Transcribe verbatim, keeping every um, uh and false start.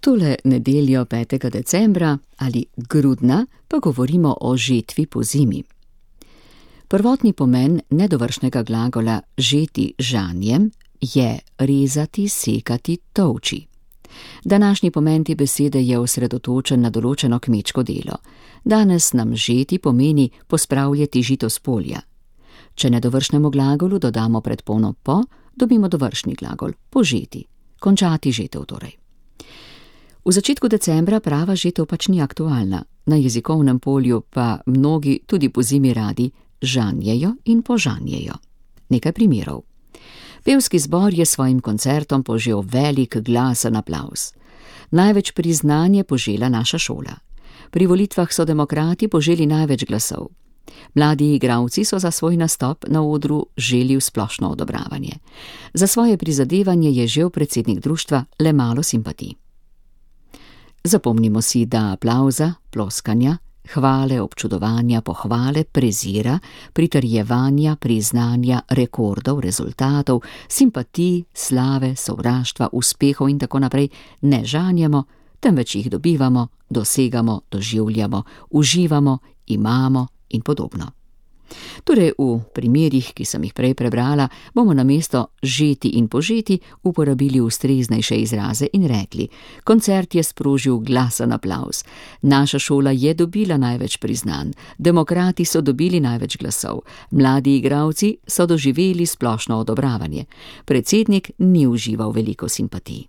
Tole nedeljo petega decembra ali grudna pa govorimo o žetvi po zimi. Prvotni pomen nedovršnega glagola žeti žanjem je rezati, sekati, tolči. Današnji pomen te besede je osredotočen na določeno kmečko delo. Danes nam žeti pomeni pospravljati žito s polja. Če nedovršnemu glagolu dodamo predpono po, dobimo dovršni glagol, požeti, končati žetev torej. V začetku decembra prava žetev pač ni aktualna, na jezikovnem polju pa mnogi tudi po zimi radi žanjejo in požanjejo. Nekaj primerov. Pevski zbor je svojim koncertom požel velik glasen aplavz. Največ priznanje požela naša šola. Pri volitvah so demokrati poželi največ glasov. Mladi igralci so za svoj nastop na odru želi splošno odobravanje. Za svoje prizadevanje je žel predsednik društva le malo simpatij. Zapomnimo si, da aplavza, ploskanja, hvale, občudovanja, pohvale, prezira, pritrjevanja, priznanja, rekordov, rezultatov, simpatij, slave, sovraštva, uspehov in tako naprej ne žanjemo, temveč jih dobivamo, dosegamo, doživljamo, uživamo, imamo in podobno. Torej v primerih, ki sem jih prej prebrala, bomo namesto žeti in požeti uporabili ustreznejše izraze in rekli: koncert je sprožil glasen aplavz, naša šola je dobila največ priznanj, demokrati so dobili največ glasov, mladi igralci so doživeli splošno odobravanje, predsednik ni užival veliko simpatij.